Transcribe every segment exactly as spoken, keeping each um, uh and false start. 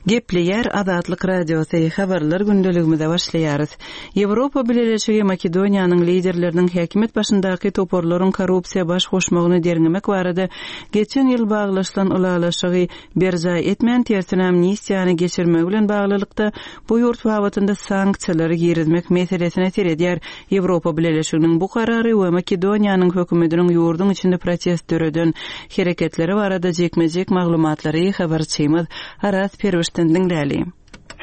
Gepleýär Azatlyk Radiosy, Habarlar gündeligimize başlaýarys. Ýewropa Bileleşigi Makedoniýanyň liderleriniň häkimiýet başyndaky toparlaryň korrupsiýa baş goşmagyny derňemek barada geçen ýyl baglaşylan ylalaşygy berjaý etmän tersine amnistiýany geçirmegi bilen baglylykda bu ýurt babatynda sanksiýalary girizmek meselesine seredýär. Ýewropa Bileleşiginiň bu karary we Makedoniýanyň hökümetiniň ýurduň içinde protest döreden hereketleri barada jikme-jik maglumatlary habarçymyz Araz Perwişden diňläli.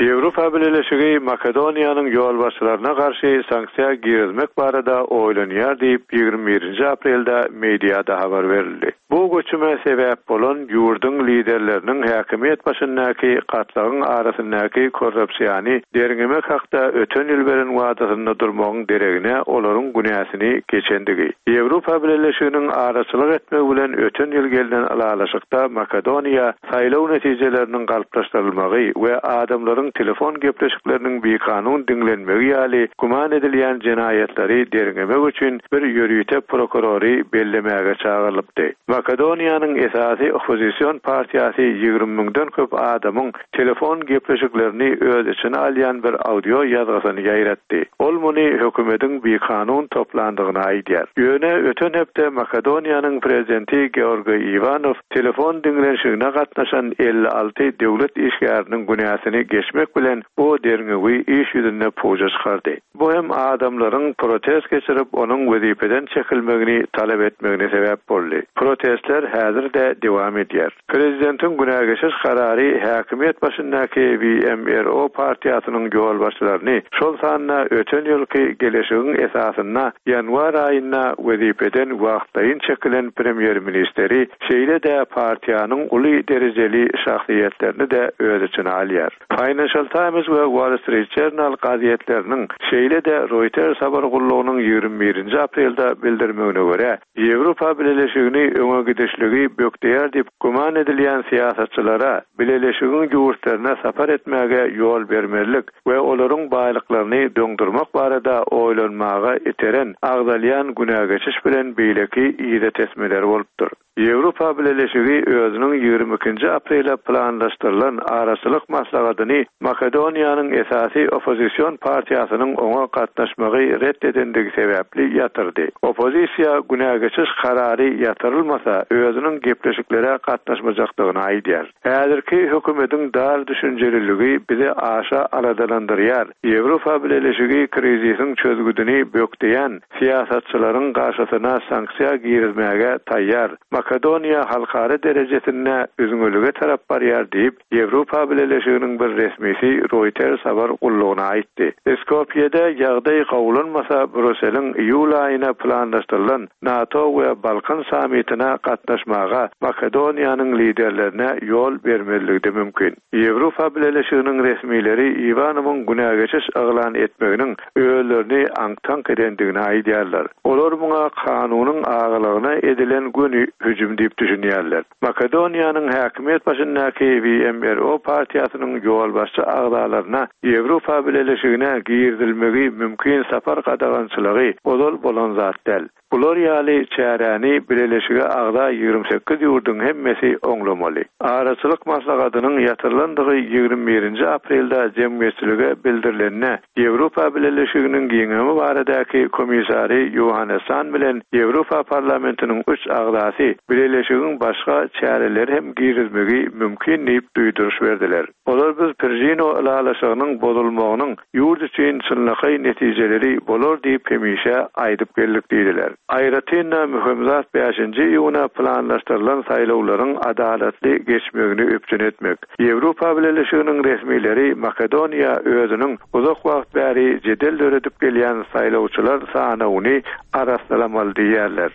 Ýewropa Bileleşigi Makedoniýanyň ýolbaşçylaryna garşy sanksiýa girizmek barada oýlanýar diýip, ýigrimi birinji aprelde mediada habar berildi. Bu göçüme sebäp bolan ýurduň liderleriniň häkimiýet başyndaky gatlagyň arasyndaky korrupsiýany derňemek hakda öten ýyl beren wadasynda durmagyň deregine olaryň günäsini geçendigi. Ýewropa Bileleşiginiň araçylyk etmegi bilen öten ýyl gelnen ylalaşykda Makedoniýa saýlaw netijeleriniň galplaşdyrylmagy we adamlaryň telefon gepleşikleriniň bikanun diňlenmegi ýaly güman edilýän jenaýatlary derňemek üçin bir ýörite prokurory bellemäge çagyrylypdy. Makedoniýanyň esasy oppozision partiýasy ýigrimi müňden köp adamyň telefon gepleşiklerini öz içine alýan bir audio ýazgysyny ýaýratdy. Ol muny hökümetiň bikanun toplandygyny aýdýar. Ýöne öten hepde Makedoniýanyň prezidenti Georgiý Iwanow telefon diňlenişigine gatnaşan elli alty döwlet işgäriniň günäsini geçmek bilen bu derňewi iş ýüzünde puja çykardy. Bu hem adamlaryň protest geçirip onuň wezipeden çekilmegini talap etmegine sebäp boldy. Protestler häzir-de dowam edýär. Prezidentiň günä geçiş karary häkimiýet başyndaky W M R O partiýasynyň ýolbaşçylaryny, şol sanda öten ýylky geleşigiň esasynda ýanwar aýynda wezipeden wagtlaýyn çekilen premýer-ministri, şeýle-de partiýanyň uly derejeli şahsyýetlerini-de öz içine alýar. Financial Times we Wall Street Journal gazetleriniň, şeýle-de Reuters habar gullugynyň ýigrimi birinji aprelde bildirmegine görä, Ýewropa Bileleşigini öňe gidişligi bökdeýär diýip güman edilýän syýasatçylara Bileleşigiň ýurtlaryna sapar etmäge ýol bermezlik we olaryň baýlyklaryny doňdurmak barada oýlanmaga iteren agzalýan günä geçiş bilen beýleki ýygy tesmeler bolupdyr. Ýewropa Bileleşigi özüniň ýigrimi ikinji aprele planlaşdyrylan araçylyk maslahatyny Makedoniýanyň esasy oppozision partiýasynyň oňa gatnaşmagy ret edendigi sebäpli ýatyrdy. Oppozisiýa günä geçiş karary ýatyrylmasa özüniň gepleşiklere gatnaşmajakdygyny aýdýar. Häzirki hökümetiň dar düşünjeliligi bizi aşa aladalandyrýar. Ýewropa Bileleşigi krizisiň çözgüdini bökdeýän syýasatçylaryň garşysyna sanksiýa girizmäge taýýar. Makedoniýa halkara derejesinde üzňelige tarap barýar diýip, Ýewropa Bileleşiginiň bir resmisi Reuters habar gullugyna aýtdy. Skopýede ýagdaý gowulanmasa Brüsseliň iýul aýyna planlaşdyrylan NATO we Balkan sammitine gatnaşmaga Makedoniýanyň liderlerine ýol bermezligi mümkin. Ýewropa Bileleşiginiň resmileri Iwanowyň günä geçiş yglan etmeginiň özlerini aňk-taňk edendigini aýdýarlar. Olar muňa kanunyň agalygyna edilen göni hüjüm diýip düşünýärler. Makedoniýanyň häkimiýet başyndaky W M R O partiýasynyň ýolbaşçy agzalaryna Ýewropa Bileleşigine girizilmegi mümkin sapar gadagançylygy ozal bolan zat däl. Bular ýaly çäräni Bileleşige agza ýigrimi sekiz ýurduň hemmesi oňlamaly. Araçylyk maslahatynyň ýatyrylandygy ýigrimi birinji aprelde jemgyýetçilige bildirilenine Ýewropa Bileleşiginiň giňemi baradaky komissary Johannes Hahn bilen Ýewropa Parlamentiniň üç agzasy Bileleşigiň başga çäreleri hem girizmegi mümkin diýip duýduryş berdiler. Olar biz Pržino ylalaşygynyň bozulmagynyň ýurt üçin çynlakaý netijeleri bolar diýip hemişe aýdyp geldik diýdiler. Aýratyn-da möhüm zat bäşinji iýuna planlaşdyrylan saýlawlaryň adalatly geçmegini üpjün etmek. Ýewropa Bileleşiginiň resmileri Makedoniýa özüniň uzak wagt bäri jedel döredip gelýän saýlawçylar sanawyny arassalamaly diýýärler.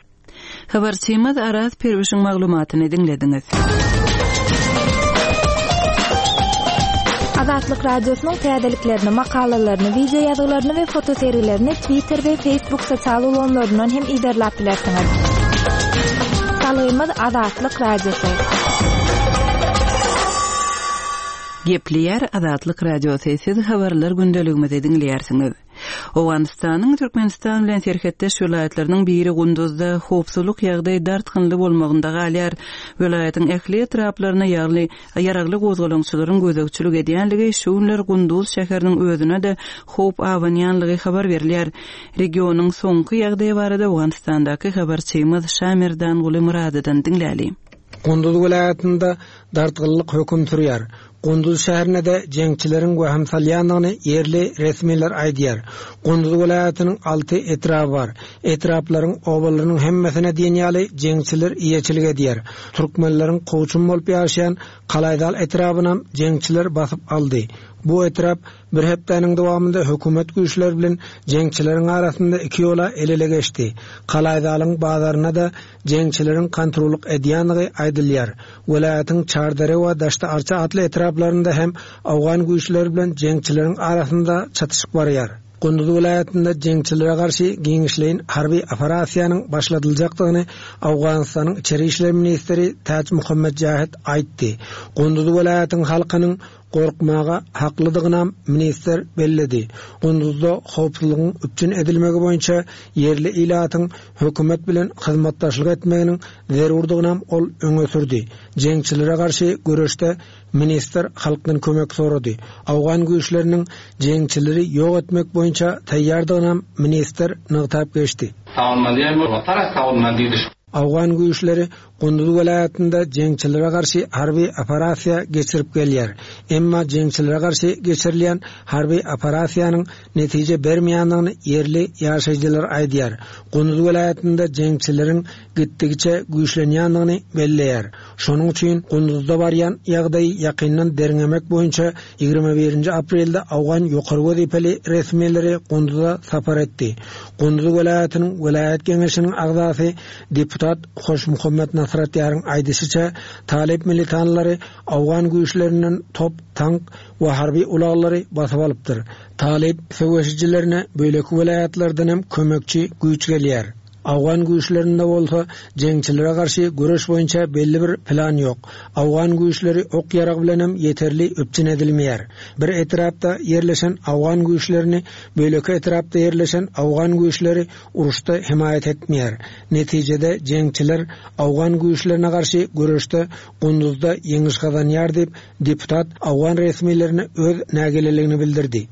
Habarçymyz Araz Perwişiň maglumatyny diňlediňiz. Azatlyk Radiosynyň täzeliklerini, makalalaryny, video ýazgylaryny we fotosergilerini Twitter we Facebook sosial ulgamlaryndan hem iderläp bilersiňiz. Salgymyz Azatlyk Radiosy. Gepleýär Azatlyk Radiosy, siz habarlar gündeligimizi diňleýärsiňiz. Owganystanyň Türkmenistan bilen serhetdeş welaýatlarynyň biri Gunduzda howpsuzlyk ýagdaýy dartgynly bolmagynda galýar. Welaýatyň ähli etraplaryna ýagly ýaragly gozgalaňçylaryň gözegçilik edýänligi şu günler Gunduz şäheriniň özüne-de howp abanýanlygy habar berilýär. Regionyň soňky ýagdaýy barada Owganystandaky habarçymyz Şamerdanguly Muradydan diňläli. Gunduz welaýatynda dartgynlyk höküm sürýär. Gunduz şäherine-de jeňçileriň wehim salýandygyny ýerli resmiler aýdýar. Gunduz welaýatynyň alty etraby bar. Etraplaryň obalarynyň hemmesine diýen ýaly jeňçiler eýeçilik edýär. Türkmenleriň kowçum bolup ýaşaýan Kalaýdal etrabynam jeňçiler basyp aldy. Bu etrap bir hepdäniň dowamynda hökümet güýçleri bilen jeňçileriň arasynda iki ýola el-ele geçdi. Kalaýdalyň bazaryna-da jeňçileriň kontrollyk edýändigi aýdylýar. Welaýatyň Çardere we Daşda Arça atly etraplarynda hem Awgan güýçleri bilen jeňçileriň arasynda çatyşyk barýar. Gunduz welaýatynda jeňçilere garşy giňişleýin harby operasiýanyň başladyljakdygyny Awganystanyň Içeri işler ministri Täç Muhammed Jahid aýtdy. Gunduz welaýatyň halkynyň gorkmaga haklydygyny ministr belledi. Gunduzda howpsuzlygyň üpjün edilmegi boýunça ýerli ilatyň hökümet bilen hyzmatdaşlyk etmeginiň zerurdygyny ol öňe sürdi. Jeňçilere garşy göreşde ministr halkdan kömek sorady. Awgan güýçleriniň jeňçileri ýok etmek boýunça taýýardygyny ministr nygtap geçdi. Awgan güýçleri Gunduz welaýatynda jeňçilere garşy harby operasiýa geçirip gelýär. Emma jeňçilere garşy geçirilýän harby operasiýanyň netije bermeýändigini ýerli ýaşaýjylar aýdýar. Gunduz welaýatynda jeňçileriň gitdigiçe güýçlenýändigini belleýär. Şonuň üçin Gunduzda barýan ýagdaýy ýakyndan derňemek boýunça ýigrimi birinji aprelde Awgan ýokary wezipeli resmileri Gunduza sapar etdi. Gunduz welaýatynyň welaýat geňeşiniň agzasy deputat Hoşmuhammet Nasratýaryň aýdyşyça Talip militanlary Awgan güýçlerinden top, tank we harby ulaglary basyp alypdyr. Talip söweşijilerine bölek welaýatlardan hem kömekçi güýç gelýär. Awgan güýçlerinde bolsa jeňçilere garşy göreş boýunça belli bir plan ýok. Awgan güýçleri ok ýarag bilen hem ýeterli üpjün edilmeýär. Bir etrapda ýerleşen Awgan güýçlerini bölek etrapda ýerleşen Awgan güýçleri uruşda himaýat etmeýär. Netijede jeňçiler Awgan güýçlerine garşy göreşde Gunduzda ýeňiş gazanýar diýip deputat Awgan resmilerine öz nägileligini bildirdi.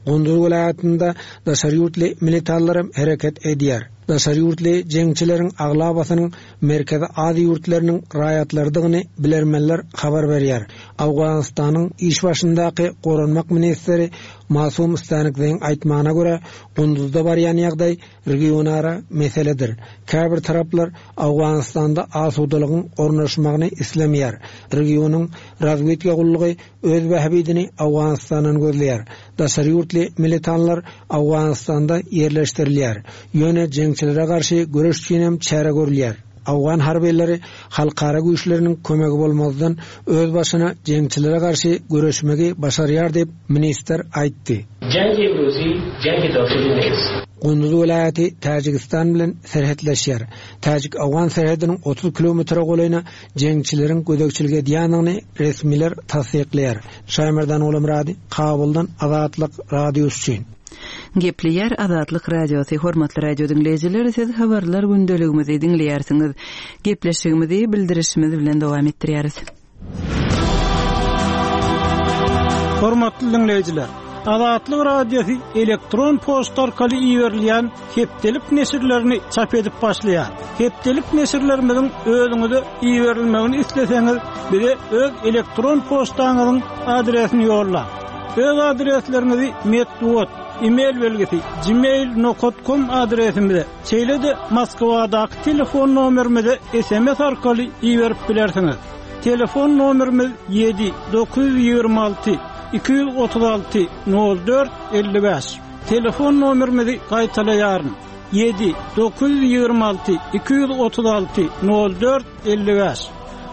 Gunduz welaýatynda daşary ýurtly militarlar hem hereket edýär. Daşary ýurtly jeňçileriň aglabasynyň Merkezi Aziýa ýurtlarynyň raýatlarydygyny bilermenler habar berýär. Awganystanyň iş başyndaky goranmak ministri Masum Stanikzeýiň aýtmagyna görä, Gunduzda barýan ýagdaý regionara meseledir. Käbir taraplar Awganystanda asudalygyň ornaşmagyny islemeýär. Regionyň razwedka gullugy öz bähbidini Awganistandan gözleýär. Daşary ýurtly militanlar Awganystanda ýerleşdirilýär. Ýöne jeňçilere garşy göreş üçin hem çäre görülýär. Awgan harbileri halkara güýçleriniň kömegi bolmazdan öz başyna jeňçilere garşy göreşmegi başarýar diýip ministr aýtdy. Jengi imruzi, jengi dakhili neýst. Gunduz welaýaty Täjigistan bilen serhetleşýär. Täjik-Awgan serhediniň otuz kilometre golaýyna jeňçileriň gözegçilik edýändigini resmiler tassyklaýar. Şaýmerdan Olamrady, Kabuldan Azatlyk Radiosy üçin. Gepleýär Azatlyk Radiosy, hormatly radio diňleýjiler, siz habarlar gündeligimizi diňleýärsiňiz. Gepleşigimizi bildirişimiz bilen dowam etdirýäris. Hormatly diňleýjiler, Azatlyk Radiosy elektron poçta arkaly iberilýän hepdelik neşirlerini çap edip başlaýar. Hepdelik neşirlerimiziň özüňize iberilmegini isleseňiz, bize öz elektron poçtaňyzyň adresini ýollaň. Öz adresleriňizi metbugat, e-mail belgisi gmail nokta com adresimize, şeýle-de Moskwadaky telefon nomerimize S M S arkaly iberip bilersiňiz. Telefon nomerimiz ýedi dokuz ýüz ýigrimi alty iki ýüz otuz alty nol dört elli bäş. Telefon nomerimizi gaýtalaýaryn. Ýedi dokuz ýüz ýigrimi alty iki ýüz otuz alty nol dört elli bäş.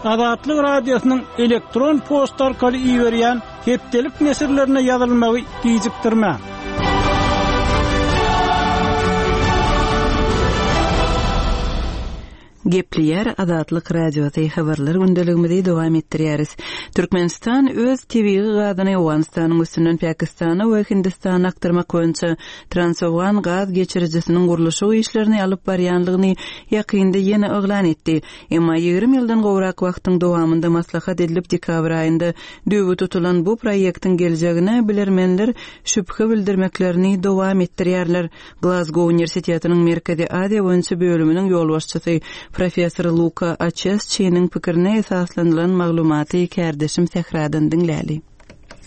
Azatlyk Radiosynyň elektron poçta arkaly iberýän hepdelik neşirlerine ýazylmagy gijikdirmäň. Gepleýär Azatlyk Radiosy habarlar gündeligimizi dowam etdirýäris. Türkmenistan öz tebigy gazyny Owganystanyň üstünden Pakistana we Hindistana akdyrmak boýunça Transowgan gaz geçirijisiniň gurluşyk işlerini alyp barýanlygyny ýakynda ýene yglan etdi. Emma ýigrimi ýyldan gowrak wagtyň dowamynda maslahat edilip dekabr aýynda düwü tutulan bu proýektiň geljegine bilermenler şübhe bildirmeklerini dowam etdirýärler. Glasgow Uniwersitetiniň Merkezi Aziýa boýunça bölüminiň ýolbaşçysy professor Luka Açesçiniň pikirine esaslanylan maglumaty kärdeşim Sähradan diňläli.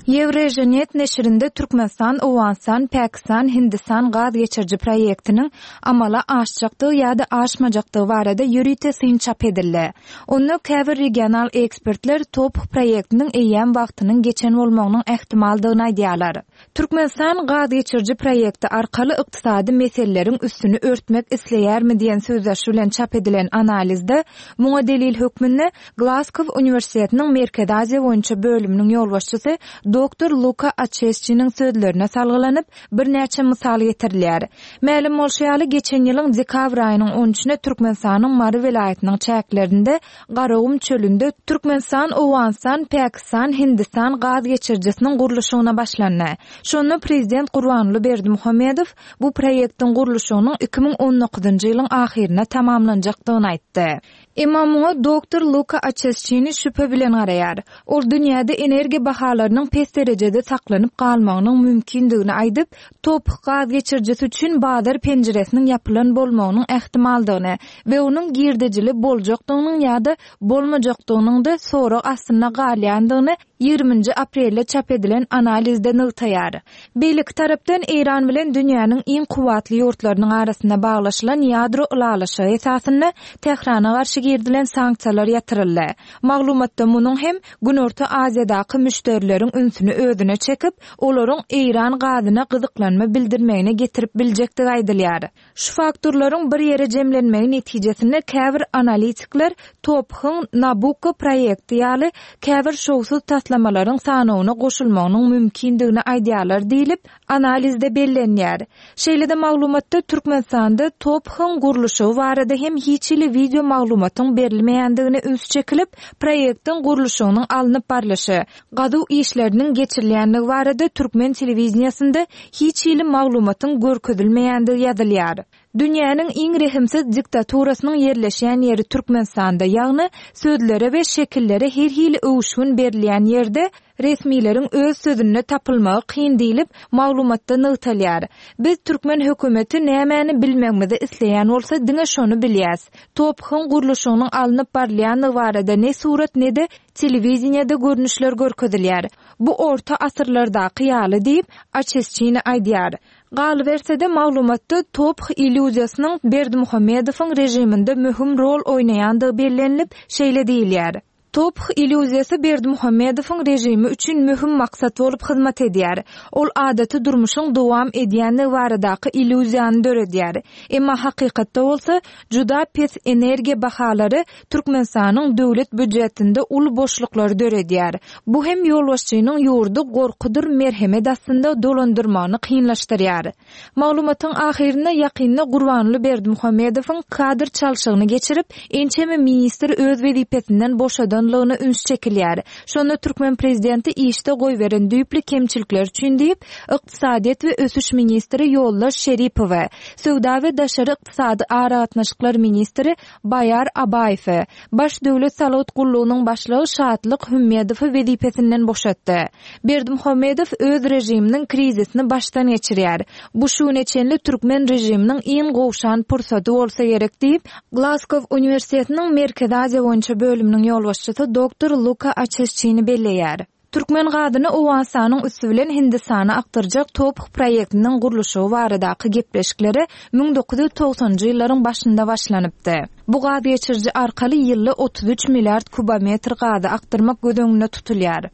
Eurasianet neşirinde Türkmenistan, Owganystan, Pakistan, Hindistan gaz geçiriji proýektiniň amala aşjakdygy ýa-da aşmajakdygy barada ýörite syn çap edildi. Onda käbir regional ekspertler TOP proýektiniň eýýäm wagtynyň geçen bolmagynyň ähtimaldygyny aýdýarlar. Türkmenistan gaz geçiriji proýekti arkaly ykdysady meseleleriň üstüni örtmek isleýärmi diýen sözdaşy bilen çap edilen analizde muňa delil hökmünde Glasgow Uniwersitetiniň Merkezi Aziýa boýunça bölüminiň ýolbaşçysy doktor Luka Açesçiniň sözlerine salgylanyp birnäçe mysal getirilýär. Mälim bolşy ýaly geçen ýylyň dekabr aýynyň on üçüne Türkmenistanyň Mary welaýatynyň çäklerinde Garagum çölünde Türkmenistan, Owganystan, Pakistan, Hindistan gaz geçirijisiniň gurluşygyna başlandy. Şonda prezident Gurbanguly Berdimuhamedow bu proýektiň gurluşygynyň iki müň on dokuzynjy ýylyň ahyryna tamamlanjakdygyny aýtdy. Emma muňa doktor Luka Açesçini şübhe bilen garaýar. Ol dünýäde energiýa bahalarynyň pes derejede saklanyp galmagynyň mümkindigini aýdyp, TOP gaz geçirijisi üçin bazar penjiresiniň ýapylan bolmagynyň ähtimaldygyny we onuň girdejili boljakdygynyň ýa-da bolmajakdygynyň da sorag astynda galýandygyny ýigriminji aprelde çap edilen analizde nygtaýar. Beýleki tarapdan Eýran bilen dünýäniň iň kuwwatly ýurtlarynyň arasynda baglaşylan ýadro ylalaşygy esasynda Tährana garşy girdilen sanksiýalar ýatyryldy. Maglumatda munuň hem Günorta Aziýadaky müşderileriň ünsüni özüne çekip, olaryň Eýran gazyna gyzyklanma bildirmegine getirip biljekdigi aýdylýar. Şu faktorlaryň bir ýere jemlenmegi netijesinde käbir analitikler TOP-yň Nabucco proýekti ýaly käbir şowsuz taslamalaryň sanawyna goşulmagynyň mümkindigini aýdýarlar diýlip analizde bellenýär. Şeýle-de maglumatda Türkmenistanda TOP-yň gurluşygy barada hem hiç hili video maglumatyň berilmeýändigine üns çekilip, proýektiň gurluşygynyň alnyp barlyşy, gazuw işleriniň geçirilýändigi barada türkmen telewideniýasynda hiç hili maglumatyň görkezilmeýändigi ýazylýar. Dünýäniň iň rehimsiz diktaturasynyň ýerleşýän ýeri Türkmenistanda, ýagny sözlere we şekillere her hili öwüşgin berilýän ýerde resmileriň öz sözünde tapylmagy kyn diýlip maglumatda nygtalýar. Biz türkmen hökümeti nämäni bilmegimizi isleýän bolsa diňe şony bilýäs. TOP-yň gurluşygynyň alnyp barylýandygy barada ne surat ne de telewideniýede görnüşler görkezilýär. Bu orta asyrlardaky ýaly diýip Açesçini aýdýar. Galyberse-de maglumatda TOP illýuziýasynyň Berdimuhamedowyň rejiminde möhüm rol oýnaýandygy bellenilip şeýle diýilýär. TOP illýuziýasy Berdimuhamedowyň rejimi üçin möhüm maksat bolup hyzmat edýär. Ol adaty durmuşyň dowam edýändigi baradaky illýuziýany döredýär. Emma hakykatda bolsa juda pes energiýa bahalary Türkmenistanyň döwlet býujetinde uly boşluklary döredýär. Bu hem ýolbaşçynyň ýurdy gorkudyr merhemet astynda dolandyrmagyny kynlaşdyrýar. Maglumatyň ahyrynda ýakynda Gurbanguly Berdimuhamedowyň kadr çalşygyny geçirip, ençeme ministr öz wezipesinden boşadanlygyna üns çekilýär. Şonda türkmen prezidenti işde goýberen düýpli kemçilikler üçin diýip, ykdysadyýet we ösüş ministri Ýoldaş Şeripowy, söwda we daşary ykdysady aragatnaşyklar ministri Baýar Abaýewi, baş döwlet salgyt gullugynyň başlygy Şatlyk Hümmedowy wezipesinden boşatdy. Berdimuhamedow öz rejiminiň krizisini başdan geçirýär. Bu şu güne çenli türkmen rejiminiň iň gowşan pursaty bolsa gerek diýip, Glasgow Uniwersitetiniň Merkezi Aziýa boýunça bölüminiň ýolbaşçysy doktor Luka Açesçini belleýär. Türkmen gazyny Owganystanyň üsti bilen Hindistana akdyrjak TOP proýektiniň gurluşygy baradaky gepleşikleri müň dokuz ýüz togsanjy ýyllaryň başynda başlanypdy. Bu gaz geçiriji arkaly ýylda otuz üç milliard kubometr gazy akdyrmak göz öňünde tutulýar.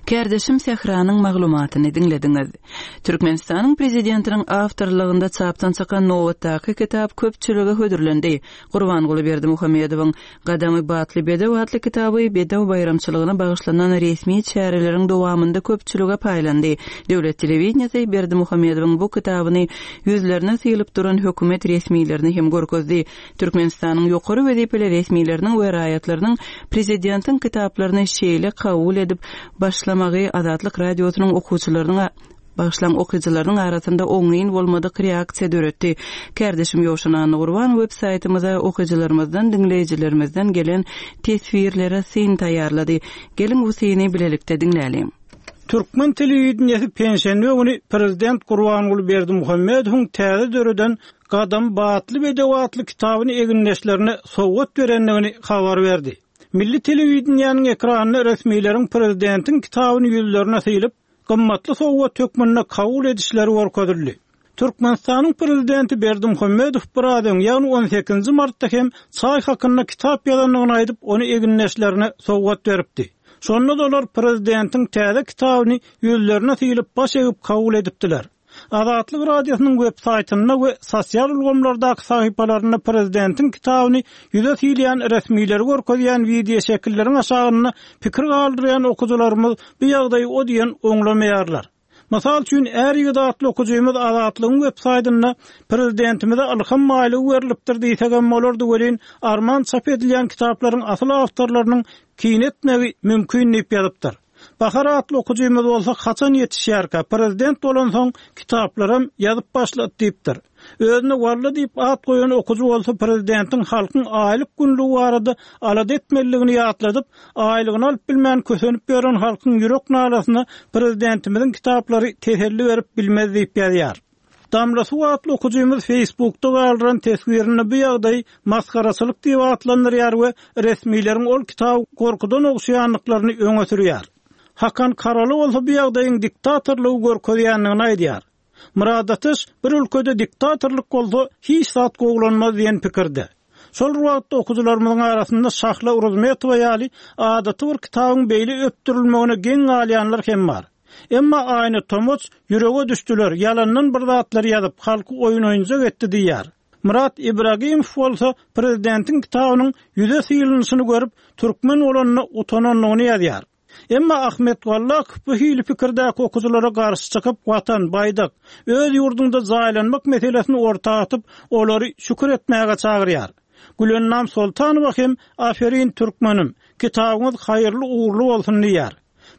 Kärdeşim Sähranyň maglumatyny diňlediňiz. Türkmenistanyň Prezidentiniň awtorlygynda çapdan çykan nobatdaky kitap köpçülige hödürlendi. Gurbanguly Berdimuhamedowyň Gadamy batly bedew atly kitaby bedew baýramçylygyna bagyşlanan resmi çäreleriň dowamynda köpçülige paýlandy. Döwlet telewideniýesi Berdimuhamedowyň bu kitabyny ýüzlerine syýlyp duran hökümet resmilerini hem görkezdi. Türkmenistanyň ýokary wezipeli resmileriniň we raýatlarynyň prezidentiň kitaplaryny şeýle kabul edip başlamagy Azatlyk Radiosynyň okuwçylarynyň bagyşlan okyjylarynyň arasynda oňyn bolmadyk reaksiýa döretdi. Kärdeşim Ýowşan Annagurban web saýtymyza okyjylarymyzdan, diňleýjilerimizden gelen teswirlere syn taýýarlady. Geliň bu syny bilelikde diňläliň. Türkmen telewideniýesi penşenbe güni Prezident Gurbanguly Berdimuhamedowyň täze döreden Gadam batly bedew atly kitabyny egindeşlerine sowgat berendigini habar berdi. Milli telewideniýäniň ekranynda resmileriň prezidentiň kitabyny ýüzlerine syýlyp, gymmatly sowgat hökmünde kabul edişleri görkezildi. Türkmenistanyň prezidenti Berdimuhamedow biraz öň, ýagny on sekizinji martda hem çaý hakynda kitap ýazandygyny aýdyp, ony egindeşlerine sowgat beripdi. Şonda olar prezidentiň täze kitabyny ýüzlerine syýlyp baş egip kabul edipdiler. Azatlyk Radiosynyň web saýtynda we sosial ulgamlardaky sahypalarynda prezidentiň kitabyny ýüze syýlaýan resmileri görkezýän wideo şekilleriň aşagynda pikir galdyrýan okyjylarymyz bu ýagdaýy o diýen oňlamaýarlar. Mysal üçin, är ýigit atly okyjymyz Azatlygyň web saýtynda prezidentimize ylham maýlygy berilipdir diýsegem bolardy welin, arman çap edilýän kitaplaryň asyl awtorlarynyň kine etmegi mümkin diýip ýazypdyr. Bahar atly okyjymyz bolsa haçan ýetişýärkä prezident bolansoň kitaplaram ýazyp başlady diýipdir. Özüne walla diýip at goýan okyjy bolsa prezidentiň halkyň aýlyk günlügi barada alada etmeliligini ýatladyp, aýlygyny alyp bilmän kösenip ýören halkyň ýürek nalasyna prezidentimiziň kitaplary teselli berip bilmez diýip ýazýar. Damla Suw atly okyjymyz Facebookda galdyran teswirinde bu ýagdaýy masgaraçylyk diýip atlandyrýar we resmileriň ol kitaby gorkudan ogşaýanlyklaryny öňe sürýär. Hakan Karaly bolsa bu ýagdaýyň diktatorlygy görkezýändigini aýdýar. Murad Ateş bir ülkede diktatorlyk bolsa hiç zat gowlanmaz diýen pikirde. Şol wagtda okyjylarymyzyň arasynda Şahla Uruzmetowa ýaly adaty bir kitabyň beýle öpdürilmegine geň galýanlar hem bar. Emma Aýna Tomoç ýürege düşdüler, ýalandan bir zatlar ýazyp, halky oýun oýunjak etdi diýýär. Murat Ibragimow bolsa prezidentiň kitabynyň ýüze syýlynyşyny görüp, türkmen bolanyna utanandygyny ýazýar. Emma Ahmet Wallak bu hili pikirdäki okyjylara garşy çykyp, watan, baýdak, öz ýurdunda jaýlanmak meselesini orta atyp, olary şükür etmäge çagyrýar. Gülennam Soltanowa hem aferin türkmenim, kitabyňyz haýyrly uğurly bolsun diýýär.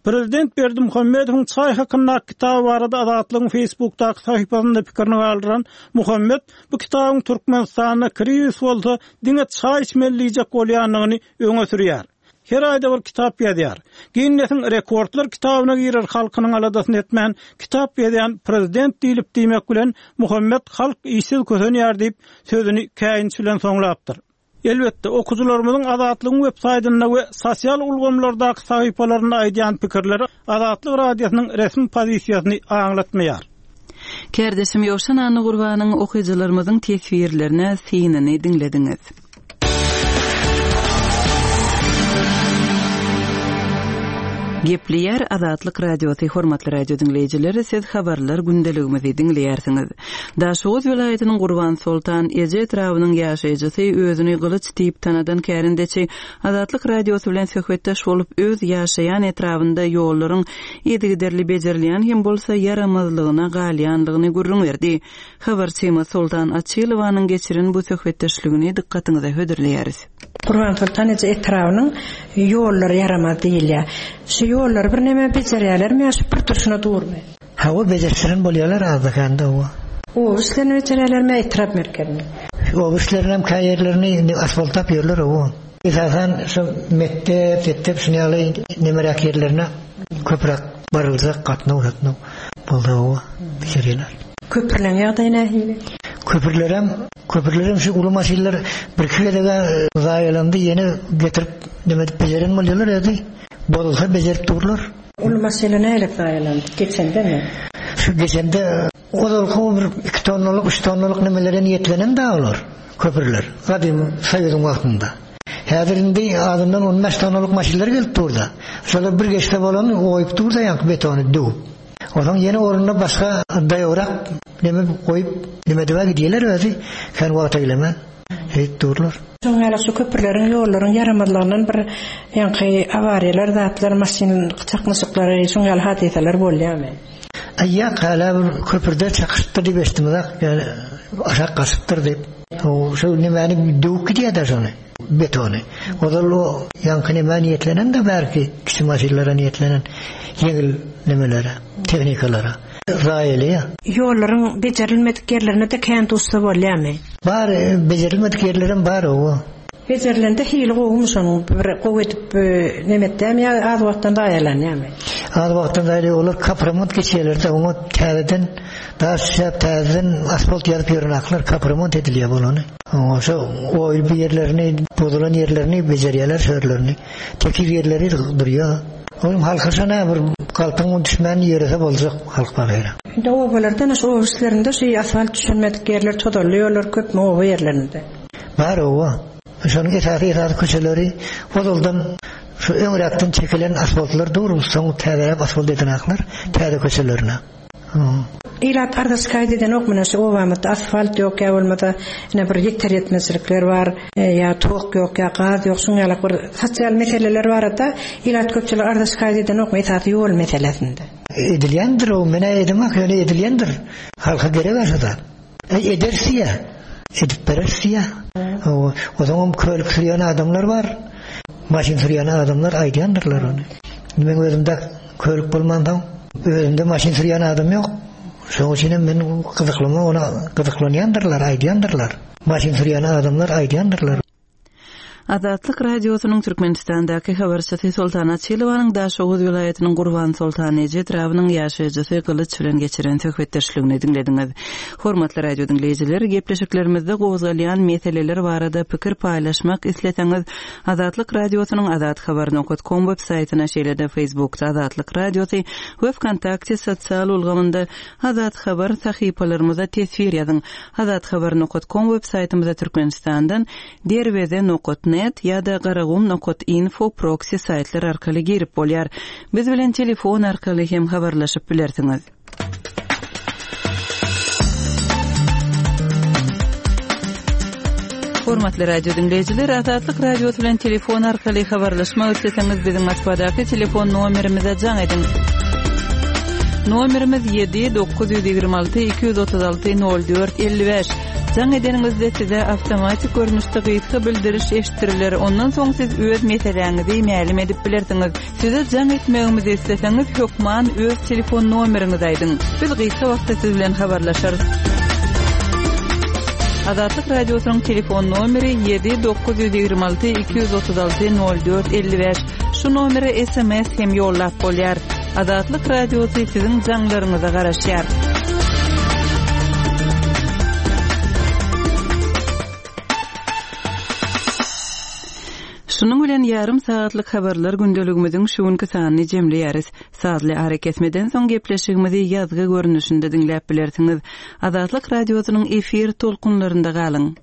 Prezident Berdimuhamedowyň çaý hakyndaky kitaby barada Azatlygyň Facebookdaky sahypasynda pikirini galdyran Muhammed bu kitabyň Türkmenistanda krizis bolsa diňe çaý içmeli diýjek bolýandygyny öňe sürýär. Her aýda bir kitap ýazýar. Ginnesiň rekordlar kitabyna girer halkynyň aladasyny etmän kitap ýazýan prezident diýlip diýmek bilen Muhammed halk işsiz kösenýär diýip sözüni käýinç bilen soňlapdyr. Elbetde, okyjylarymyzyň Azatlygyň web saýtynda we sosial ulgamlardaky sahypalarynda aýdýan pikirleri Azatlyk Radiosynyň resmi pozisiýasyny aňlatmaýar. Kärdeşim Ýowşan Annagurbanyň okyjylarymyzyň teswirlerine synyny diňlediňiz. Gepleýär Azatlyk Radiosy hormatly radio diňleýjileri, siz habarlar gündeligimizi diňleýärsiňiz. Daşoguz welaýatynyň Gurban Soltan Eje etrabynyň ýaşaýjysy özüni gylyç diýip tanadan kärendeçi Azatlyk Radiosy bilen söhbetdeş bolup öz ýaşaýan etrabynda ýollaryň yzygiderli bejerilýän hem bolsa ýaramazlygyna galýanlygyny gürrüň berdi. Habarçymyz Soltan Açylowanyň geçiren bu söhbetdeşligini dykgatyňyza hödürleýäris. Gurban Soltan Eje etrabynyň ýollary ýaramaz diýilýär. Şu ýollary bir näme bejerýärlermi ýa şu bir turşuna durmy? Hawa bejerişen bolýarlar azda-kände o. O işlerini bejerýärlermi etrap merkezini? O işlerini hem käýerlerini indi asfaltlap ýörler o. Esasan şu mekdep, mektep şuny ýaly nemeräk ýerlerine köpräk baryljak gatnaw gatnaw boldy o bejerýärler. Köprüleň ýagdaýy nähili? Köprülerem, köprülerem şu uly maşynlar bir iki gezege zaýalandy, ýene getirip neme edip bejeren bolýarlar edi. Bozulsa bejerip durlar. Uly maşynlar näle zaýalandy? Geçende mi? Şu geçende ozalky bir iki tonnalyk, üç tonnalyk nemelere niýetlenen da olar köprüler. Gadymy Soýuzyň wagtynda. Häzir indi azyndan on bäş tonnalyk maşynlar gelip durda. Şolar bir geçse bolany goýup durda ýaňky betony döwüp. Ondan ýene ornuna başga daýawrak neme goýup neme diýip gidýärler özi. Sen wagta geleme. Heýt durlar. Şoň ýaly şu köprüleriň, ýollaryň ýaramazlygyndan bir ýaňky awariýalar, zatlar, maşyn çaknyşyklary, şoň ýaly hadysalar bolýarmy? Aýa hala bir köprüde çakyşypdyr diýip eşitdim ýani aşak gaçypdyr diýip. O şu nemäni döwüp gidýär şony, betony. Ozal o ýaňky nämä niýetlenen de belki kiçi maşynlara niýetlenen ýeňil nemelere, tehnikalara. Raýly ya. Ýollaryň bejerilmedik ýerlerine de kän duşsa bolýarmy? Bar, bejerilmedik ýerlerim bar o. Bejerilende hili gowumy şonuň bir gowy edip nemetdämi ýa az wagtdan zaýalanýarmy? Az wagtdan zaýaly olar kapremont geçýärler de oňa täzeden daş düşäp täzeden asfalt ýazyp ýörenaklar kapremont edilýär bolany. Oňa şo oýul bir ýerlerini, bozulan ýerlerini bejerýärler şörlerini. Tekiz ýerleri durýar. Onuň halka şona bir galpyň düşmän ýerese boljak halk bagyra. Indi obalardan şu oba işlerinde şu asfalt düşülmedik ýerler, tozarly ýollar köpmi oba ýerlerinde? Bar oba. Şonuň esasy esasy köçeleri ozaldan şu öňräkden çekilen asfaltlar dur, soň täzeläp asfalt edenaklar täze köçelerine. Ilat arza şikayet eden ok mena şu obamyzda asfalt ýok ýa bolmasa ine bir ýeter ýetmezçilikler bar, e, ýa tok ýok ýa gaz ýok, şuň ýaly bir sosial meseleler barada ilat köpçülik arza şikayet eden ok esasy ýol meselesinde. Edilýändir o, menä edemak ýöne edilýändir. Halka gerek aşada. E, edersi ya, edip berersi ya. O, o zaman kölük sürýän adamlar bar. Maşyn sürýän adamlar aýdýandyrlar ony. Men özümde kölük bolmandan özümde maşyn sürýän adam ýok. Şoň üçin hem men gyzyklama ona gyzyklanýandyrlar, aýdýandyrlar. Maşyn sürýän adamlar aýdýandyrlar. Azatlyk Radiosynyň Türkmenistandaky habarçysy Soltan Açylowanyň Daşoguz welaýatynyň Gurban Soltan Eje etrabynyň ýaşaýjysy Gylyç bilen geçiren söhbetdeşligini diňlediňiz. Hormatly radio diňleýjiler, gepleşiklerimizde gozgalýan meseleler barada pikir paýlaşmak isleseňiz, Azatlyk Radiosynyň azathabar nokta com web saýtyna, şeýle-de Facebookda Azatlyk Radiosy we VKontakte sosial ulgamynda Azat Habar sahypalarymyza teswir ýazyň. Azathabar nokta com web saýtymyzda Türkmenistandan derweze nokta net ýa-da garagum nokta info proxy saýtlar arkaly girip bolýar. Biz bilen telefon arkaly hem habarlaşyp bilersiňiz. Hormatly radio dinleýjiler, Azatlyk Radiosy bilen telefon arkaly habarlaşmak isleseňiz biziň Moskwadaky telefon nomerimize jaň ediň. Nomerimiz ýedi dokuz ýüz ýigrimi alty iki ýüz otuz alty nol dört elli bäş. Jaň edeniňizde size awtomatik görnüşde gysga bildiriş eşitdiriler. Ondan soň siz öz meseläňizi mälim edip bilersiňiz. Size jaň etmegimizi isleseňiz hökman öz telefon nomeriňizi aýdyň. Biz gysga wagtda siz bilen habarlaşarys. Azatlyk Radiosynyň telefon nomeri ýedi dokuz ýüz ýigrimi alty iki ýüz otuz alty nol dört elli bäş. Şu nomere S M S hem ýollap bolýar. Azatlyk Radiosy siziň jaňlaryňyza garaşýar. Şunuň bilen ýarym sagatlyk habarlar gündeligimiziň şu günki sanyny jemleýäris. Sazly ara kesmeden soň gepleşigimizi ýazgy görnüşinde diňläp bilersiňiz. Azatlyk Radiosynyň efir tolkunlarynda galyň.